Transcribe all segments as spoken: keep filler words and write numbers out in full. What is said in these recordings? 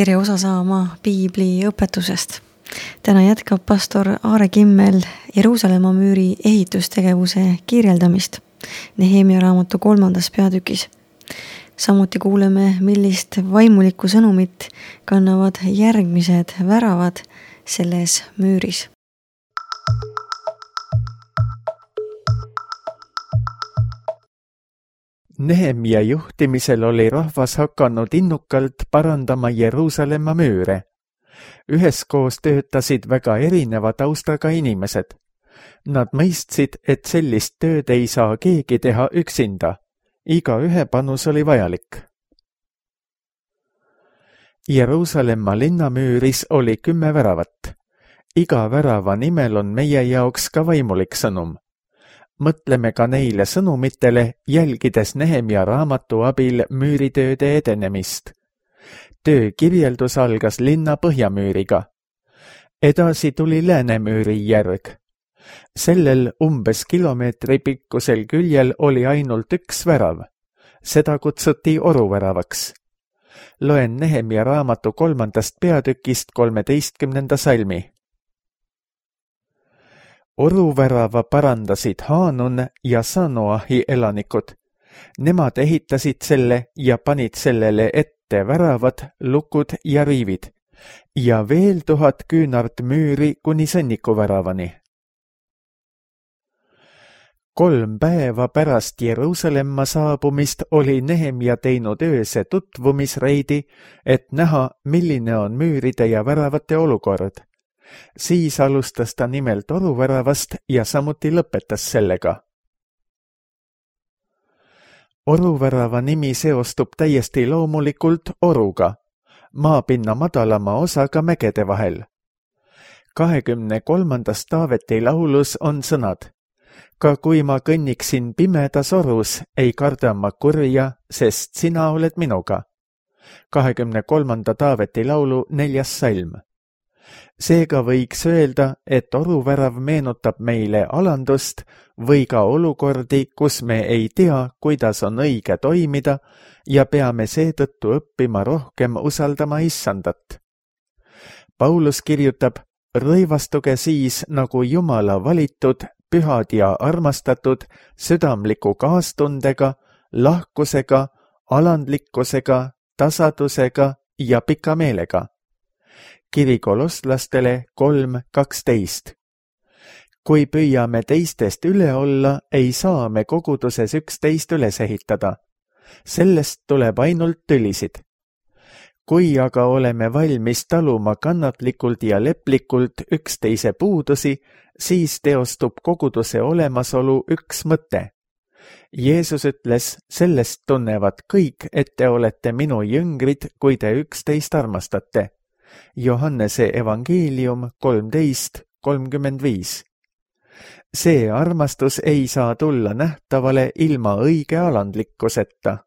tere osa saama piibli õpetusest. Täna jätkab pastor Aare Kimmel Jeruusalemma müüri ehitustegevuse kirjeldamist Nehemia raamatu kolmandas peatükis. Samuti kuuleme, millist vaimulikku sõnumit kannavad järgmised väravad selles müüris. Nehemia juhtimisel oli rahvas hakanud innukalt parandama Jeruusalemma müüre. Üheskoos töötasid väga erineva taustaga inimesed. Nad mõistsid, et sellist tööd ei saa keegi teha üksinda. Iga ühe panus oli vajalik. Jeruusalemma linnamüüris oli kümme väravat. Iga värava nimel on meie jaoks ka vaimulik sõnum. Mõtleme ka neile sõnumitele, jälgides Nehemia raamatu abil müüritööde edenemist. Töö kirjeldus algas linna põhjamüüriga. Edasi tuli läänemüüri järg. Sellel umbes kilomeetri pikkusel küljel oli ainult üks värav. Seda kutsuti oruväravaks. Loen Nehemia raamatu kolmandast peatükist kolmeteistkümnenda salmi. Oruvärava parandasid Haanun ja Sanoahi elanikud. Nemad ehitasid selle ja panid sellele ette väravad, lukud ja riivid ja veel tuhat küünart müüri kuni sõnnikuväravani. Kolm päeva pärast Jeruusalemma saabumist oli Nehemia teinud ööse tutvumisreidi, et näha, milline on müüride ja väravate olukord. Siis alustas ta nimelt oruväravast ja samuti lõpetas sellega. Oruvärava nimi seostub täiesti loomulikult oruga, maapinna madalama osaga mägede vahel. kahekümne kolmandas Taaveti laulus on sõnad. Ka kui ma kõnniksin pimedas orus, ei karda ma kurja, sest sina oled minuga. kahekümne kolmanda Taaveti laulu neljas salm. Seega võiks öelda, et oruvärav meenutab meile alandust või ka olukordi, kus me ei tea, kuidas on õige toimida ja peame seetõttu õppima rohkem usaldama issandat. Paulus kirjutab, rõivastuge siis nagu Jumala valitud, pühad ja armastatud, südamliku kaastundega, lahkusega, alandlikkusega, tasadusega ja pika meelega. Kiri kolosslastele kolm kaksteist. Kui püüame teistest üle olla, ei saa me koguduses üksteist üles ehitada. Sellest tuleb ainult tülisid. Kui aga oleme valmis taluma kannatlikult ja leplikult üksteise puudusi, siis teostub koguduse olemasolu üks mõte. Jeesus ütles, sellest tunnevad kõik, et te olete minu jüngrid, kui te üksteist armastate. Johannese evangeelium kolmteist kolmkümmend viis. See armastus ei saa tulla nähtavale ilma õige alandlikkuseta.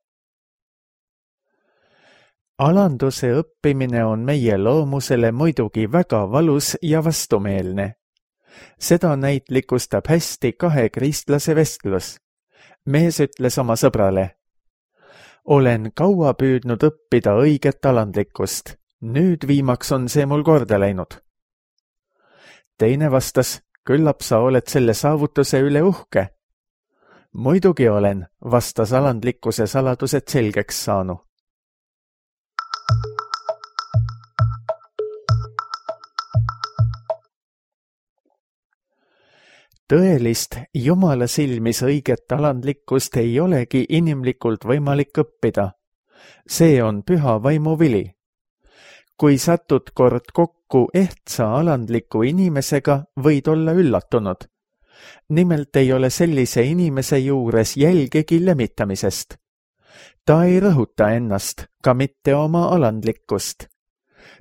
Alanduse õppimine on meie loomusele muidugi väga valus ja vastumeelne. Seda näitlikustab hästi kahe kristlase vestlus. Mees ütles oma sõbrale, olen kaua püüdnud õppida õiget alandlikkust. Nüüd viimaks on see mul korda läinud. Teine vastas, küllap sa oled selle saavutuse üle uhke. Muidugi olen, vastas alandlikkuse saladused selgeks saanu. Tõelist Jumala silmis õiget alandlikkust ei olegi inimlikult võimalik õppida. See on püha vaimu vili. Kui satud kord kokku ehtsa alandliku inimesega, võid olla üllatunud. Nimelt ei ole sellise inimese juures jälgegi lemitamisest. Ta ei rõhuta ennast, ka mitte oma alandlikkust.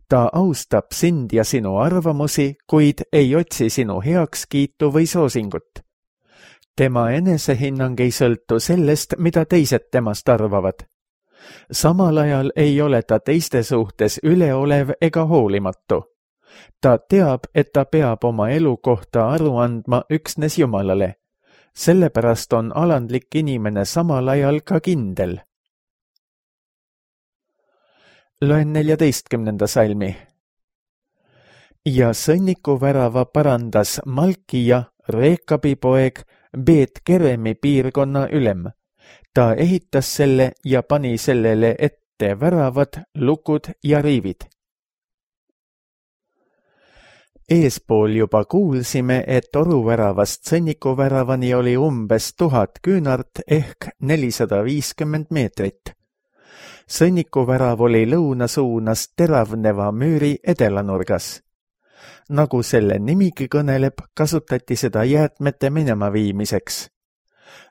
Ta austab sind ja sinu arvamusi, kuid ei otsi sinu heakskiitu või soosingut. Tema enesehinnang ei sõltu sellest, mida teised temast arvavad. Samal ajal ei ole ta teiste suhtes üleolev ega hoolimatu. Ta teab, et ta peab oma elu kohta aru andma üksnes Jumalale. Sellepärast on alandlik inimene samal ajal ka kindel. Loen neljateistkümnenda salmi. Ja sõnniku värava parandas Malkia, Reekabi poeg, Beet Keremi piirkonna ülem. Ta ehitas selle ja pani sellele ette väravad, lukud ja riivid. Eespool juba kuulsime, et oruväravast sõnnikuväravani oli umbes tuhat küünart ehk nelisada viiskümmend meetrit. Sõnnikuvärav oli lõunasuunas teravneva müüri edelanurgas. Nagu selle nimigi kõneleb, kasutati seda jäätmete minema viimiseks.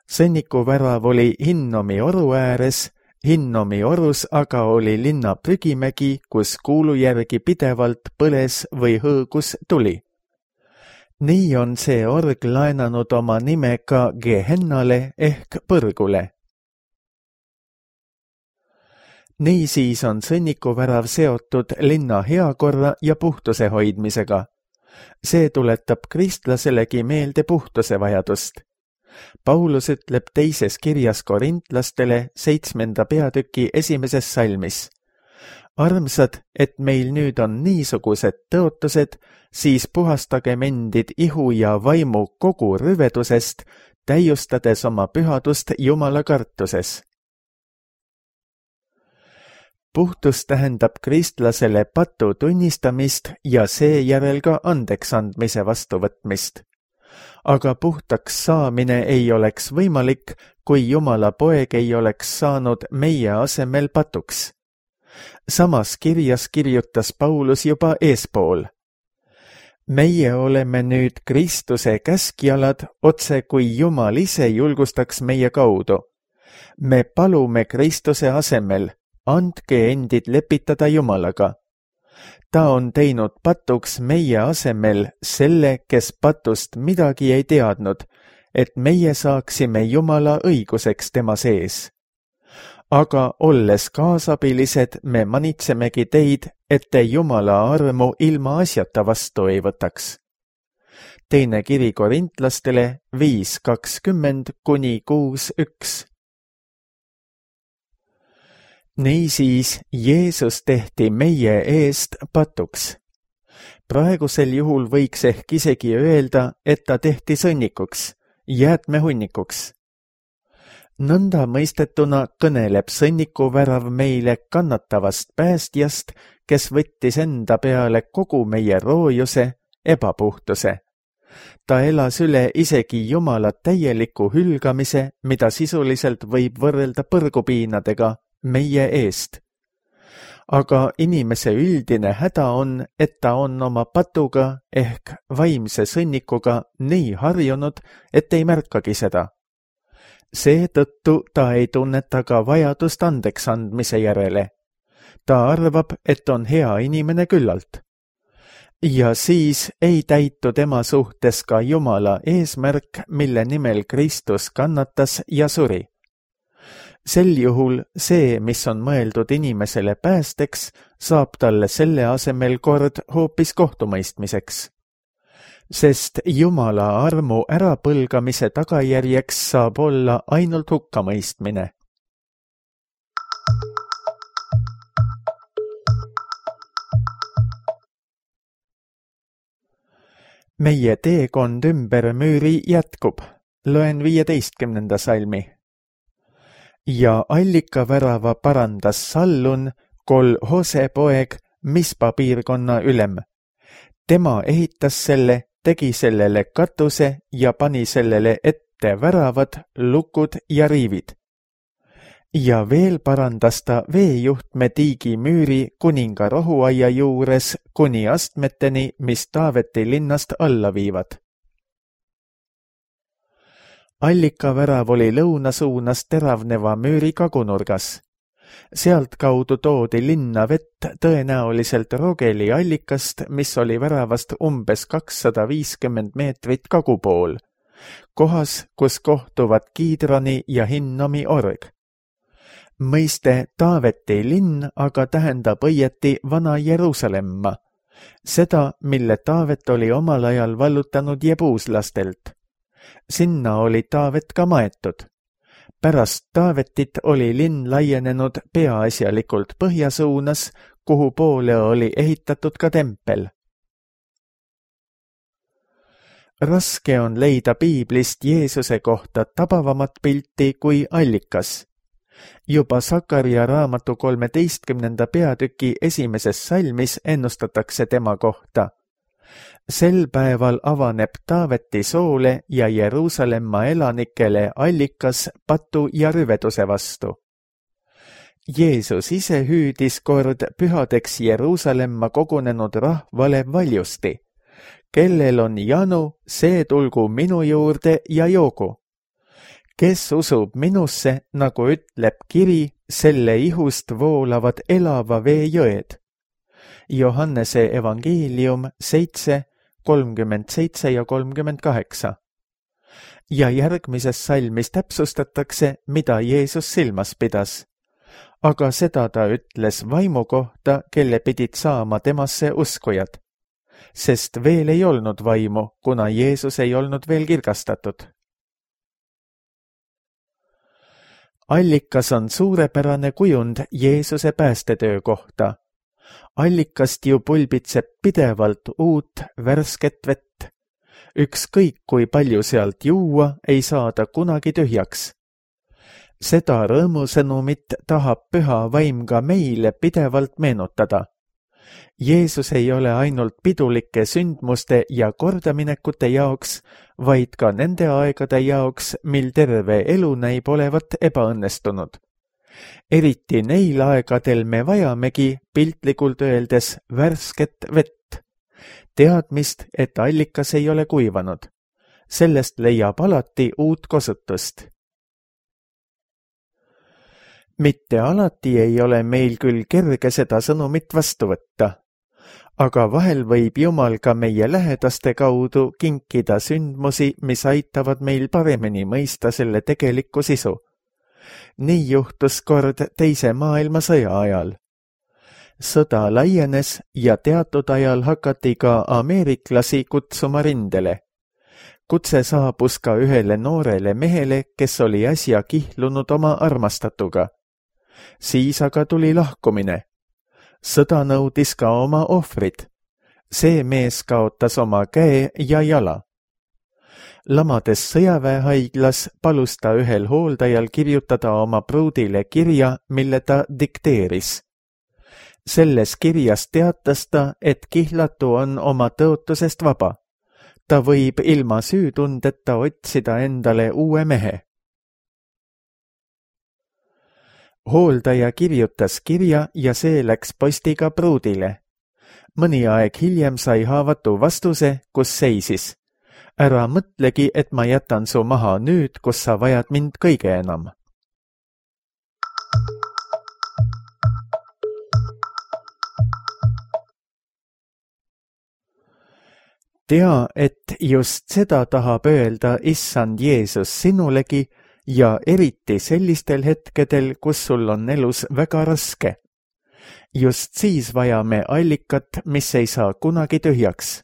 Sõnnikuvärav oli Hinnomi oru ääres, Hinnomi orus aga oli linna prügimägi, kus kuulu järgi pidevalt põles või hõõgus tuli. Nii on see org laenanud oma nime ka Gehennale ehk põrgule. Niisiis on sõnnikuvärav seotud linna heakorra ja puhtuse hoidmisega. See tuletab kristlaselegi meelde puhtuse vajadust. Paulus ütleb teises kirjas korintlastele seitsmenda peatüki esimeses salmis. Armsad, et meil nüüd on niisugused tõotused, siis puhastagem endid ihu ja vaimu kogu rüvedusest, täiustades oma pühadust Jumala kartuses. Puhtus tähendab kristlasele patu tunnistamist ja seejärel ka andeks andmise vastuvõtmist. Aga puhtaks saamine ei oleks võimalik, kui Jumala poeg ei oleks saanud meie asemel patuks. Samas kirjas kirjutas Paulus juba eespool. Meie oleme nüüd Kristuse käskjalad, otse kui Jumal ise julgustaks meie kaudu. Me palume Kristuse asemel, andke endid lepitada Jumalaga. Ta on teinud patuks meie asemel selle, kes patust midagi ei teadnud, et meie saaksime Jumala õiguseks tema sees. Aga olles kaasabilised, me manitsemegi teid, et te Jumala armu ilma asjata vastu ei võtaks. Teine kiri korintlastele viis kakskümmend kuni kuus üks. Niisiis Jeesus tehti meie eest patuks. Praegusel juhul võiks ehk isegi öelda, et ta tehti sõnnikuks, jäätmehunnikuks. Nõnda mõistetuna kõneleb sõnnikuvärav meile kannatavast päästjast, kes võttis enda peale kogu meie roojuse, ebapuhtuse. Ta elas üle isegi Jumala täieliku hülgamise, mida sisuliselt võib võrrelda põrgupiinadega, meie eest. Aga inimese üldine häda on, et ta on oma patuga ehk vaimse sõnnikuga nii harjunud, et ei märkagi seda. Seetõttu ta ei tunneta ka vajadust andeks andmise järele. Ta arvab, et on hea inimene küllalt. Ja siis ei täitu tema suhtes ka Jumala eesmärk, mille nimel Kristus kannatas ja suri. Sel juhul see, mis on mõeldud inimesele päästeks, saab talle selle asemel kord hoopis kohtumõistmiseks. Sest Jumala armu ärapõlgamise tagajärjeks saab olla ainult hukkamõistmine. Meie teekond ümber müüri jätkub. Loen viieteistkümnenda salmi. Ja allikavärava parandas Sallun, kol Hose poeg, Mispa piirkonna ülem. Tema ehitas selle, tegi sellele katuse ja pani sellele ette väravad, lukud ja riivid. Ja veel parandas ta veejuhtme tiigi müüri kuninga rohuaia juures kuni astmeteni, mis Taaveti linnast alla viivad. Allikavärav oli lõunasuunas teravneva müüri kagunurgas. Sealt kaudu toodi linna vett tõenäoliselt Rogeli allikast, mis oli väravast umbes kakssada viiskümmend meetrit kagupool, kohas, kus kohtuvad Kiidrani ja Hinnomi org. Mõiste Taaveti linn aga tähendab õieti vana Jeruusalemma, seda, mille Taavet oli omal ajal vallutanud jebuuslastelt. Sinna oli Taavet ka maetud. Pärast Taavetit oli linn laienenud peaasjalikult põhja suunas, kuhu poole oli ehitatud ka tempel. Raske on leida piiblist Jeesuse kohta tabavamat pilti kui allikas. Juba Sakaria raamatu kolmeteistkümnenda peatüki esimeses salmis ennustatakse tema kohta. Sel päeval avaneb Taaveti soole ja Jeruusalemma elanikele allikas patu ja rüveduse vastu. Jeesus ise hüüdis kord pühadeks Jeruusalemma kogunenud rahvale valjusti. Kellel on janu, see tulgu minu juurde ja joogu. Kes usub minusse, nagu ütleb kiri, selle ihust voolavad elava vee jõed. Johannese evangeelium seitse, kolmkümmend seitse ja kolmkümmend kaheksa. Ja järgmises salmis täpsustatakse, mida Jeesus silmas pidas. Aga seda ta ütles vaimu kohta, kelle pidid saama temasse uskujad. Sest veel ei olnud vaimu, kuna Jeesus ei olnud veel kirgastatud. Allikas on suurepärane kujund Jeesuse päästetöö kohta. Allikast ju pulbitseb pidevalt uut värsket vett. Ükskõik kui palju sealt juua, ei saada kunagi tühjaks. Seda rõõmusõnumit tahab püha vaim ka meile pidevalt meenutada. Jeesus ei ole ainult pidulike sündmuste ja kordaminekute jaoks, vaid ka nende aegade jaoks, mil terve elu näib olevat ebaõnnestunud. Eriti neil aegadel me vajamegi piltlikult öeldes värsket vett. Teadmist, et allikas ei ole kuivanud. Sellest leiab alati uut kosutust. Mitte alati ei ole meil küll kerge seda sõnumit vastu võtta, aga vahel võib Jumal ka meie lähedaste kaudu kinkida sündmusi, mis aitavad meil paremini mõista selle tegelikku sisu. Nii juhtus kord teise maailmasõja ajal. Sõda laienes ja teatud ajal hakati ka ameeriklasi kutsuma rindele. Kutse saabus ka ühele noorele mehele, kes oli äsja kihlunud oma armastatuga. Siis aga tuli lahkumine. Sõda nõudis ka oma ohvrid. See mees kaotas oma käe ja jala. Lamades sõjaväehaiglas palus ta ühel hooldajal kirjutada oma pruudile kirja, mille ta dikteeris. Selles kirjas teatas ta, et kihlatu on oma tõotusest vaba. Ta võib ilma süütundeta otsida endale uue mehe. Hooldaja kirjutas kirja ja see läks postiga pruudile. Mõni aeg hiljem sai haavatu vastuse, kus seisis. Ära mõtlegi, et ma jätan su maha nüüd, kus sa vajad mind kõige enam. Tea, et just seda tahab öelda Issand Jeesus sinulegi ja eriti sellistel hetkedel, kus sul on elus väga raske. Just siis vajame allikat, mis ei saa kunagi tühjaks.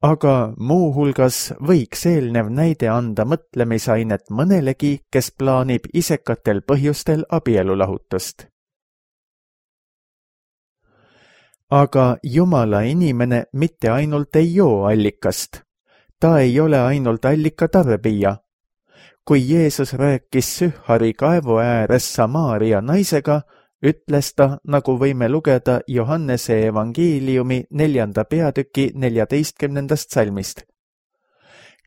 Aga muu hulgas võiks eelnev näide anda mõtlemisainet mõnelegi, kes plaanib isekatel põhjustel abielulahutust. Aga Jumala inimene mitte ainult ei joo allikast. Ta ei ole ainult allika tarbija. Kui Jeesus rääkis Sühhari kaevu ääres Samaaria naisega, ütles ta, nagu võime lugeda Johannese evangeeliumi neljanda peatüki neljateistkümnendast salmist.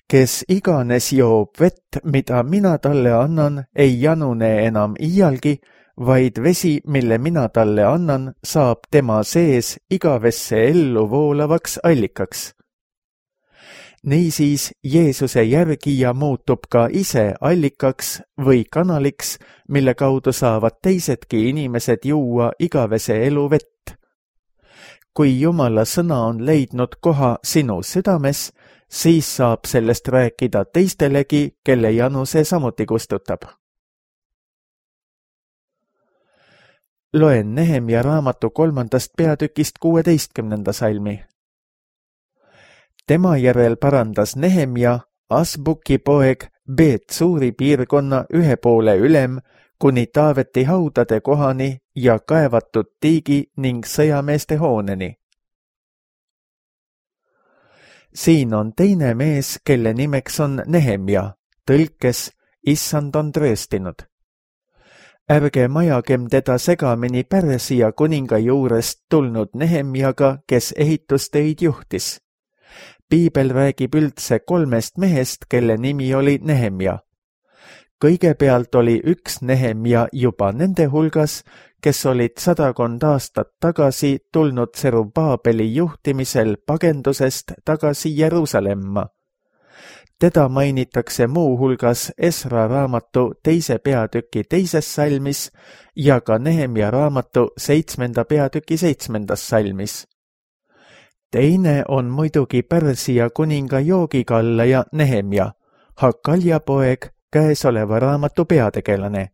Kes iganes joob vett, mida mina talle annan, ei janune enam iialgi, vaid vesi, mille mina talle annan, saab tema sees igavesse ellu voolavaks allikaks. Niisiis Jeesuse järgija muutub ka ise allikaks või kanaliks, mille kaudu saavad teisedki inimesed juua igavese elu vett. Kui Jumala sõna on leidnud koha sinu südames, siis saab sellest rääkida teistelegi, kelle janu see samuti kustutab. Loen Nehemia raamatu kolmandast peatükist kuueteistkümnenda salmi. Tema järel parandas Nehemia, Asbuki poeg, Beet-Suuri piirkonna ühe poole ülem kuni Taaveti haudade kohani ja kaevatud tiigi ning sõjameeste hooneni. Siin on teine mees, kelle nimeks on Nehemja, tõlkes Issand on trööstinud. Ärge majagem teda segamini Pärsia kuninga juurest tulnud Nehemjaga, kes ehitustöid juhtis. Piibel räägib üldse kolmest mehest, kelle nimi oli Nehemja. Kõigepealt oli üks Nehemja juba nende hulgas, kes olid sadakond aastat tagasi tulnud Serubaabeli juhtimisel pagendusest tagasi Jeruusalemma. Teda mainitakse muu hulgas Esra raamatu teise peatüki teises salmis ja ka Nehemja raamatu seitsmenda peatüki seitsmendas salmis. Teine on muidugi Pärsia kuninga joogikallaja Nehemja, Hakalja poeg, käesoleva raamatu peategelane.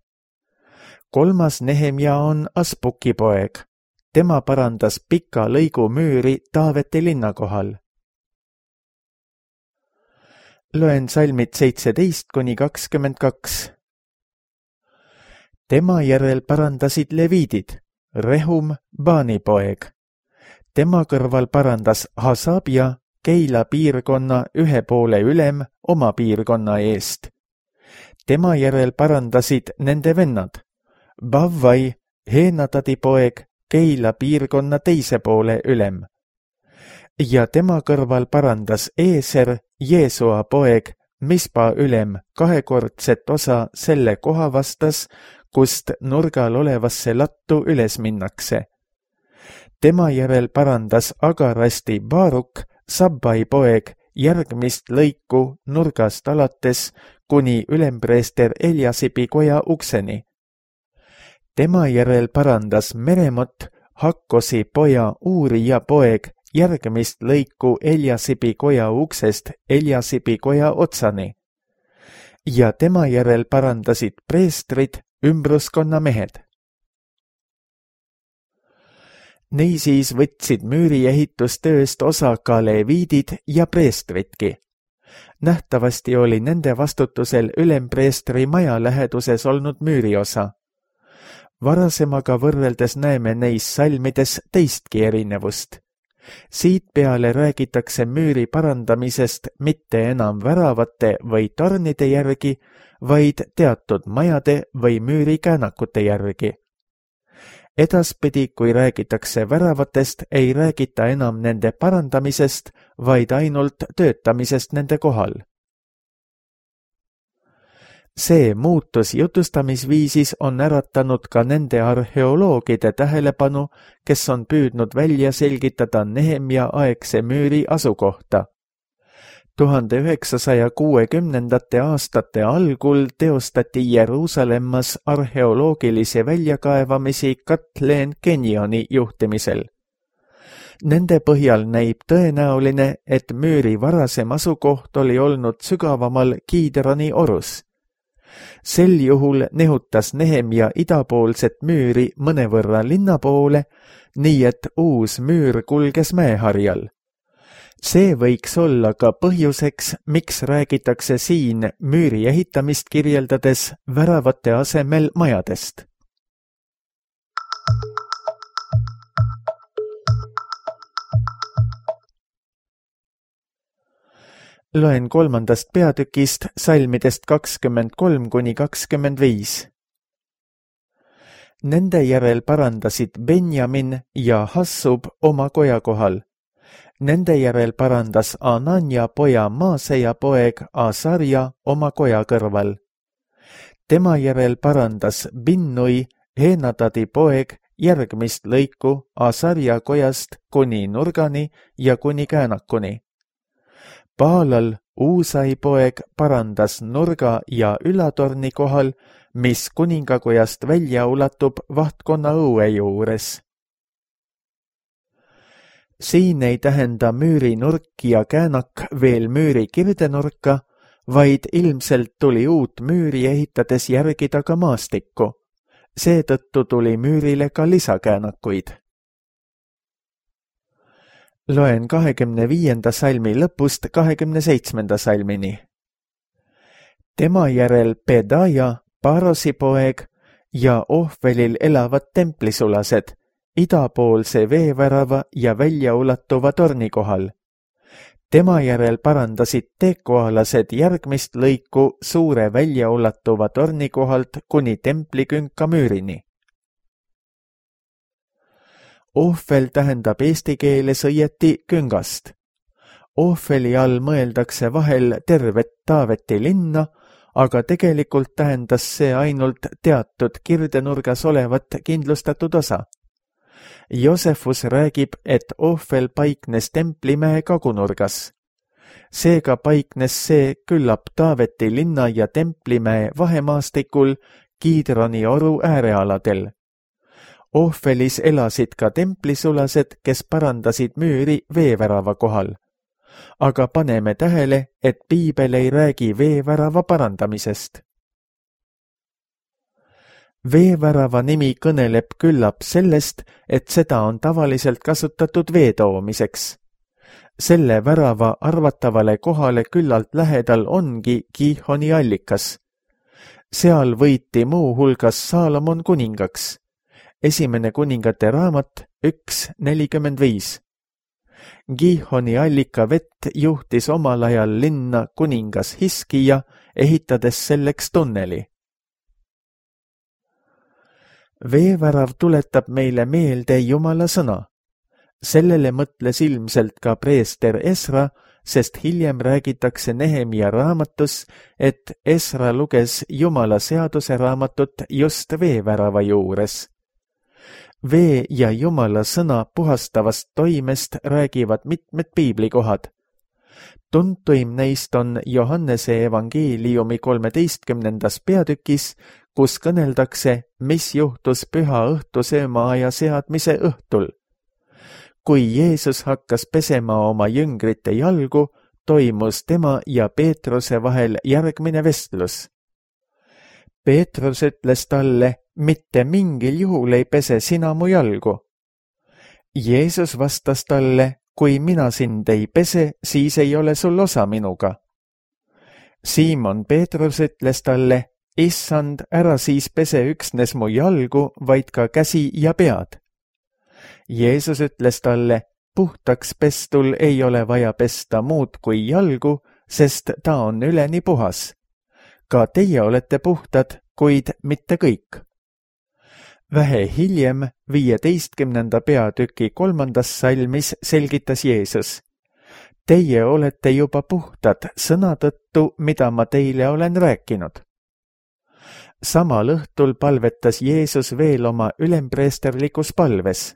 Kolmas Nehemja on Asbuki poeg. Tema parandas pika lõigu müüri Taaveti linna kohal. Loen salmid seitseteist kuni kakskümmend kaks. Tema järel parandasid leviidid, Rehum, Baani poeg. Tema kõrval parandas Hasabja, Keila piirkonna ühe poole ülem oma piirkonna eest. Tema järel parandasid nende vennad, Bavvai, Heenadadi poeg, Keila piirkonna teise poole ülem. Ja tema kõrval parandas Eeser, Jeesua poeg, Mispa ülem, kahekordset osa selle koha vastas, kust nurgal olevasse lattu üles minnakse. Tema järel parandas Agarasti Baaruk, Sabbai poeg, järgmist lõiku nurgast alates kuni ülempreester Eliasibi koja ukseni. Tema järel parandas Meremot, Hakkosi poja Uurija poeg, järgmist lõiku Eliasibi koja uksest Eliasibi koja otsani. Ja tema järel parandasid preestrid, ümbruskonna mehed. Niisiis võtsid müüri ehitustööst osa ka leviidid ja preestridki. Nähtavasti oli nende vastutusel ülempreestri maja läheduses olnud müüriosa. Varasemaga võrreldes näeme neis salmides teistki erinevust. Siit peale räägitakse müüri parandamisest mitte enam väravate või tornide järgi, vaid teatud majade või müüri käänakute järgi. Edaspidi, kui räägitakse väravatest, ei räägita enam nende parandamisest, vaid ainult töötamisest nende kohal. See muutus jutustamisviisis on äratanud ka nende arheoloogide tähelepanu, kes on püüdnud välja selgitada Nehemja aegse müüri asukohta. tuhande üheksasaja kuuekümnendate aastate algul teostati Jeruusalemmas arheoloogilisi väljakaevamisi Kathleen Kenyoni juhtimisel. Nende põhjal näib tõenäoline, et müüri varasem asukoht oli olnud sügavamal Kiidroni orus. Sel juhul nehutas Nehemja idapoolset müüri mõnevõrra linna poole, nii et uus müür kulges mäeharjal. See võiks olla ka põhjuseks, miks räägitakse siin müüri ehitamist kirjeldades väravate asemel majadest. Loen kolmandast peatükist salmidest kakskümmend kolm kuni kakskümmend viis. Nende järel parandasid Benjamin ja Hassub oma koja kohal. Nende järel parandas Anania poja Maaseja poeg Asarja oma koja kõrval. Tema järel parandas Binnui, Heenadadi poeg, järgmist lõiku Asarja kojast kuni nurgani ja kuni käänakuni. Paalal Uusai poeg parandas nurga ja ülatorni kohal, mis kuningakojast välja ulatub vahtkonna õue juures. Siin ei tähenda müüri nurk ja käänak veel müüri kirdenurka, vaid ilmselt tuli uut müüri ehitades järgida ka maastikku. Seetõttu tuli müürile ka lisakäänakuid. Loen kahekümne viienda salmi lõpust kahekümne seitsmenda salmini. tema järel Pedaja, Parosi poeg ja Ohvelil elavad templisulased idapoolse veevärava ja väljaulatuva torni kohal. Tema järel parandasid tekoalased järgmist lõiku suure väljaulatuva torni kohalt kuni templikünka müürini. Ohvel tähendab eesti keeles õieti küngast. Ohveli all mõeldakse vahel tervet Taaveti linna, aga tegelikult tähendas see ainult teatud kirdenurgas olevat kindlustatud osa. Josefus räägib, et Ohvel paiknes templimäe kagunurgas. Seega paiknes see küllap Taaveti linna ja templimäe vahemaastikul Kiidroni oru äärealadel. Ohvelis elasid ka templisulased, kes parandasid müüri veevärava kohal. Aga paneme tähele, et piibel ei räägi veevärava parandamisest. Veevärava nimi kõneleb küllap sellest, et seda on tavaliselt kasutatud vee toomiseks. Selle värava arvatavale kohale küllalt lähedal ongi Gihoni allikas. Seal võiti muu hulgas Saalomon kuningaks. Esimene kuningate raamat üks nelikümmend viis. Gihoni allika vett juhtis omal ajal linna kuningas Hiskija, ehitades selleks tunneli. Veevärav tuletab meile meelde Jumala sõna. Sellele mõtles ilmselt ka preester Esra, sest hiljem räägitakse Nehemia raamatus, et Esra luges Jumala seaduse raamatut just veevärava juures. Vee ja Jumala sõna puhastavast toimest räägivad mitmed piiblikohad. Tuntuim neist on Johannese evangeeliumi kolmeteistkümnendas peatükis, kus kõneldakse, mis juhtus püha õhtusöömaaja seadmise õhtul. Kui Jeesus hakkas pesema oma jüngrite jalgu, toimus tema ja Peetruse vahel järgmine vestlus. Peetrus ütles talle, mitte mingil juhul ei pese sina mu jalgu. Jeesus vastas talle, kui mina sind ei pese, siis ei ole sul osa minuga. Siimon Peetrus ütles talle, issand, ära siis pese üksnes mu jalgu, vaid ka käsi ja pead. Jeesus ütles talle, puhtaks pestul ei ole vaja pesta muud kui jalgu, sest ta on üleni puhas. Ka teie olete puhtad, kuid mitte kõik. Vähe hiljem, viieteistkümnenda peatüki kolmandas salmis selgitas Jeesus. Teie olete juba puhtad sõna tõttu, mida ma teile olen rääkinud. Samal õhtul palvetas Jeesus veel oma ülempreesterlikus palves.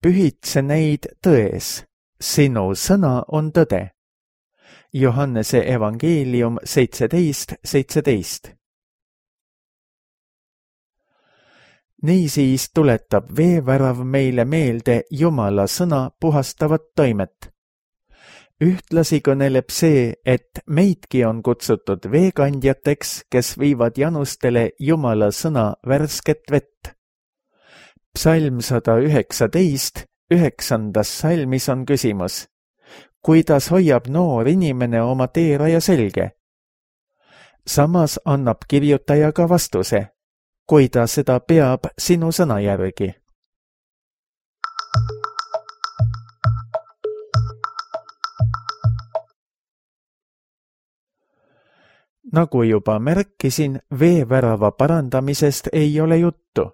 Pühitse neid tões, sinu sõna on tõde. Johannese evangeelium seitseteist seitseteist. Niisiis tuletab veevärav meile meelde Jumala sõna puhastavat toimet. Ühtlasi kõneleb see, et meidki on kutsutud veekandjateks, kes viivad janustele Jumala sõna värsket vett. Psalm sada üheksateist, üheksandas salmis on küsimus. Kuidas hoiab noor inimene oma teeraja selge? Samas annab kirjutaja ka vastuse, kui ta seda peab sinu sõna järgi. Nagu juba märkisin, veevärava parandamisest ei ole juttu.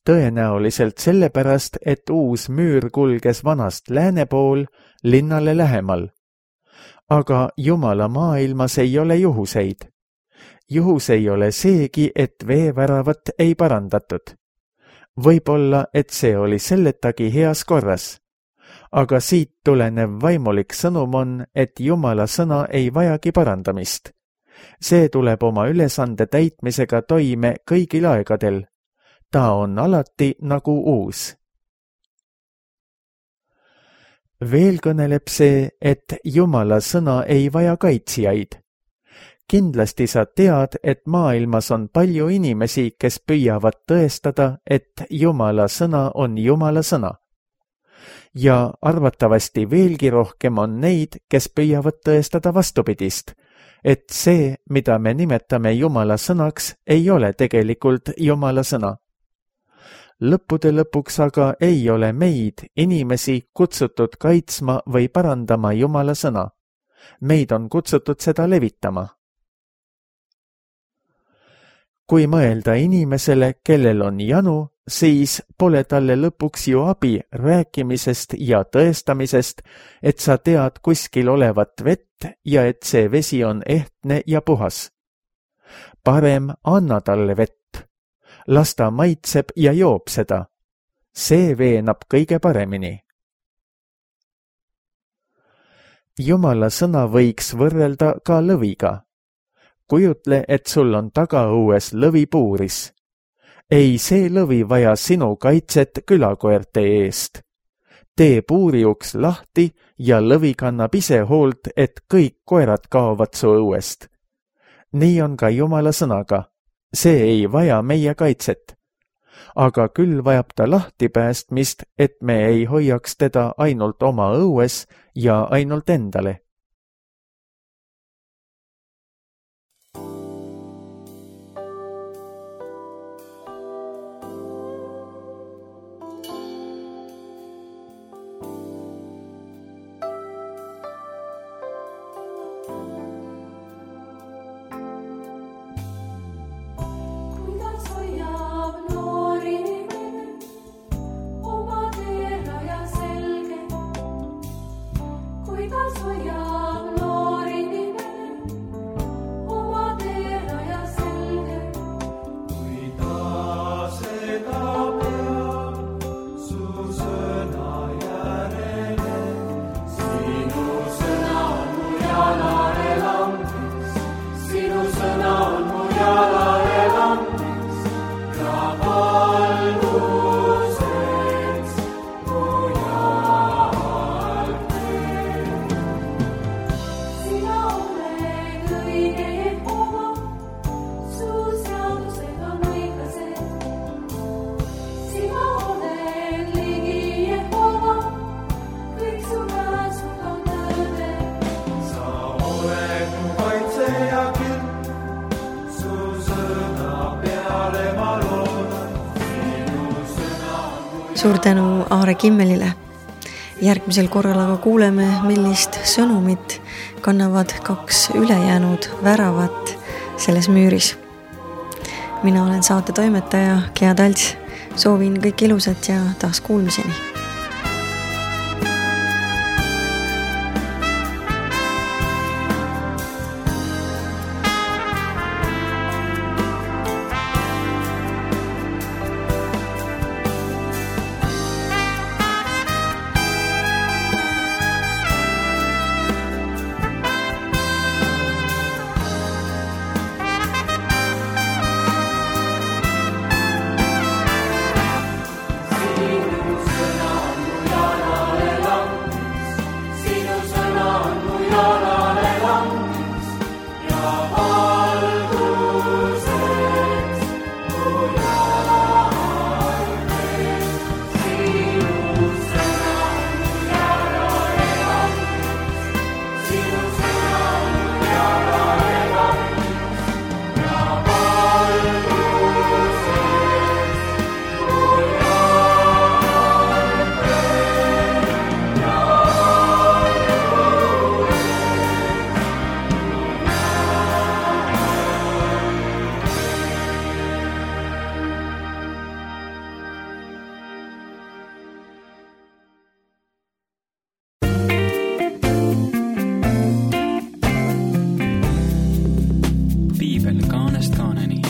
Tõenäoliselt sellepärast, et uus müür kulges vanast lääne pool linnale lähemal. Aga Jumala maailmas ei ole juhuseid. Juhus ei ole seegi, et veeväravat ei parandatud. Võib-olla, et see oli selletagi heas korras. Aga siit tulenev vaimulik sõnum on, et Jumala sõna ei vajagi parandamist. See tuleb oma ülesande täitmisega toime kõigil aegadel. Ta on alati nagu uus. Veel kõneleb see, et Jumala sõna ei vaja kaitsjaid. Kindlasti sa tead, et maailmas on palju inimesi, kes püüavad tõestada, et Jumala sõna on Jumala sõna. Ja arvatavasti veelgi rohkem on neid, kes püüavad tõestada vastupidist, et see, mida me nimetame Jumala sõnaks, ei ole tegelikult Jumala sõna. Lõppude lõpuks aga ei ole meid, inimesi, kutsutud kaitsma või parandama Jumala sõna. Meid on kutsutud seda levitama. Kui mõelda inimesele, kellel on janu, siis pole talle lõpuks ju abi rääkimisest ja tõestamisest, et sa tead kuskil olevat vett ja et see vesi on ehtne ja puhas. Parem anna talle vett. Las ta maitseb ja joob seda. See veenab kõige paremini. Jumala sõna võiks võrrelda ka lõviga. Kujutle, et sul on tagaõues lõvipuuris. Ei see lõvi vaja sinu kaitset külakoerte eest. Tee puuriuks lahti ja lõvi kannab ise hoolt, et kõik koerad kaovad su õuest. Nii on ka Jumala sõnaga. See ei vaja meie kaitset. Aga küll vajab ta lahti päästmist, et me ei hoiaks teda ainult oma õues ja ainult endale. Suur tänu Aare Kimmelile. Järgmisel korral aga kuuleme, millist sõnumit kannavad kaks ülejäänud väravat selles müüris. Mina olen saate toimetaja Gea Talts. Soovin kõik ilusat ja taas kuulmiseni. Piibel kaanest kaaneni.